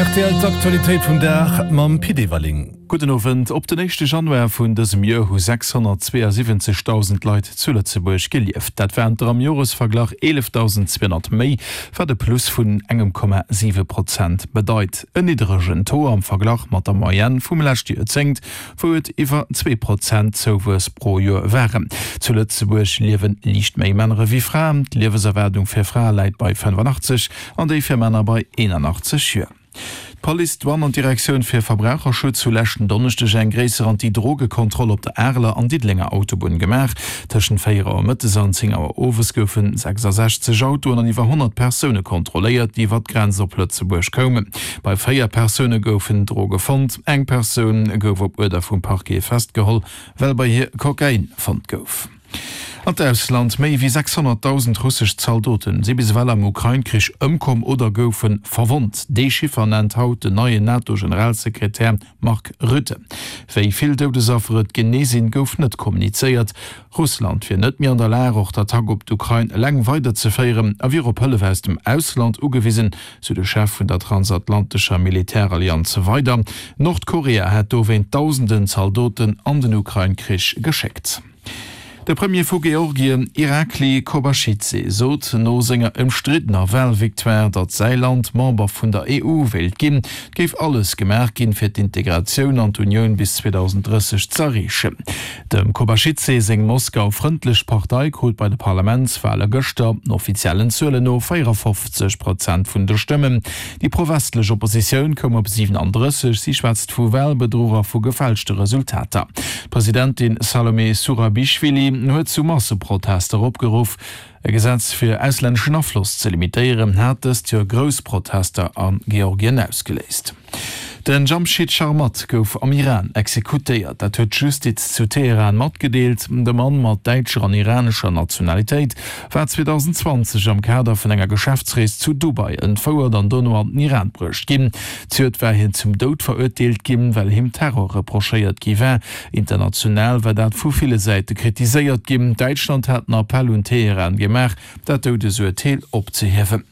Rtl D'Aktualitéit vum Dag mam Pit Everling. Gudden Owend. Op den éischte Januar vun dësem Joer hu 672.000 Leit zu Lëtzebuerg gelieft. Dat waren der am Joresverglach 11.200 méi, wat e Plus vun engem Komma 7 Prozent bedeit. En niddregen Taux am Verglach mat der Moyenne vum leschte Joerzéngt, wou et iwwer 2% Zouwuess pro Joer waren. Zu Lëtzebuerg liewe liicht méi Männer ewéi Fraen. D'Liewenserwaardung fir Frae läit bei 85 an déi fir Männer bei 81 Joer. D'Police, d'Douane an d'Direktioun fir Verbraucherschutz hu leschten Donneschdeg eng gréisser Anti-Droge-Kontroll op der Areler an Diddelenger Autobunn gemaach. Tëschent 4 Auer mëttes an 10 Auer owes goufe 66 Autoen an iwwer 100 Persoune kontrolléiert, déi iwwer d'Grenz op Lëtzebuerg koumen. Bei 4 Persoune goufen Droge fonnt. Eng Persoun gouf op Uerder vum Parquet festgeholl, well bei hir Kokain fonnt gouf. An d'Ausland, Méi wéi 600.000 russesch Zaldoten si bis ewell am Ukrain-Krich ëmkomm oder goufe verwonnt. Dee Chiffer nennt haut den neien NATO-Generalsekretär Mark Rutte. Wéi vill Doudesaffer et genee sinn, gouf net kommunizéiert. Russland wier net méi an der Lag, och d'Attack op d'Ukrain eleng weiderzeféieren a wier op Hëllef aus dem Ausland ugewisen, sou de Chef vun der transatlantescher Militärallianz weider. Nordkorea hätt dowéint dausenden Zaldoten an den Ukrain-Krich geschéckt. De Premier vu Georgien, Irakli Kobaschidse, sot no senger ëmstriddener Walvictoire, datt säi Land Member vun der EU wéilt ginn. Et géif alles gemaach ginn, fir d'Integratioun an d'Unioun bis 2030 z'erreechen. Dem Kobaschidse seng Moskau-frëndlech Partei krut bei de Parlamentswale gëschter, offiziellen Zuelen no, 54 Prozent vun de Stëmmen. Déi pro-westlech Oppositioun koum op 37. Si schwätzt vu Walbedruch a vu gefälschte Resultater. D'Presidentin Salome Surabischwili huet zu Masseprotester opgeruff. E Gesetz fir auslänneschen Afloss ze limitéieren, hat dëst Joer grouss Protester a Georgien ausgeléist. Den Jamshid Sharmahd gouf am Iran exekutéiert. Dat huet d'Justiz zu Teheran matgedeelt. De Mann mat däitscher an iranescher Nationalitéit war 2020 am Kader vun enger Geschäftsrees zu Dubai entfouert an dono an den Iran bruecht ginn. Zejoert war hien zum Doud verurteelt ginn, well him Terror reprochéiert gi war. International war dat vu ville Säite kritiséiert ginn. Däitschland hat en Appell un Teheran gemaach, dat Doudesurteel opzehiewen.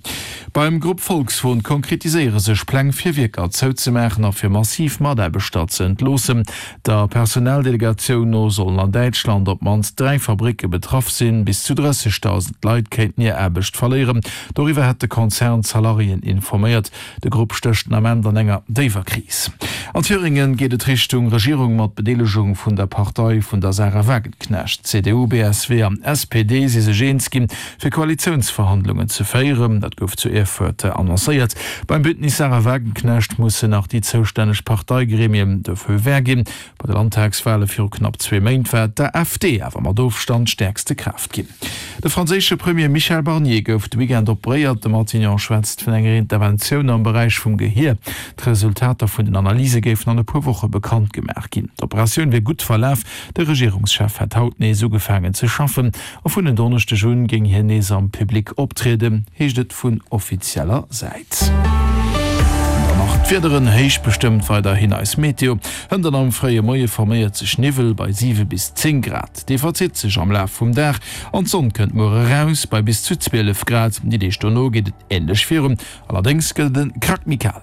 Beim Grupp Volkswon konkretiséiere sech Pläng fir Wierker zouzemaachen a fir massiv Mataarbechter ze entloossen. Der Personaldelegatioun no sollen an Däitschland op d'mannst 3 Fabricke betraff sinn. Bis zu 30.000 Leit kéinten hir Aarbecht verléieren. Doriwwer hätt de Konzern d'Salariéen informéiert. De Grupp stécht den Ament an enger déiwer Kris. An Thüringen geet et Richtung Regierung mat Bedeelegung vun der Partei vun der Sahra Wagenknecht. CDU, BSW an SPD si sech eens ginn, fir Koalitiounsverhandlungen ze féieren. Dat gouf zu Erfurt annoncéiert. Beim Bündnis Sahra Wagenknecht mussen nach déi zoustänneg Parteigremien de Feu vert ginn. Bei de Landtagswale viru knapp zwee Méint war d'AfD awer mat Ofstand stäerkste Kraaft ginn. De franséische Premier Michel Barnier gouf de Weekend operéiert. De Matignon schwätzt vun enger Interventioun am Beräich vum Gehier. D'Resultater vun den Analyse géifen an e puer Woche bekannt gemaach ginn. D'Operatioun wier gutt verlaf. De Regierungschef hätt haut nees ugefaangen ze schaffen a vun en Donneschdeg un géing hien nees am Public optrieden, heescht et vun offizieller Säit. Dann nach d'Wiederen, Héich bestëmmt weiderhin eis Meteo. Hënt an am fréie Moie forméiert sech Niwwel bei 7 bis 10 Grad. Dee verzitt sech am Laf vum Dag an d'Sonn kënnt muer eraus bei bis zu 12 Grad. Déi Deeg dono geet et änlech virun, allerdéngs gëtt et e Krack méi kal.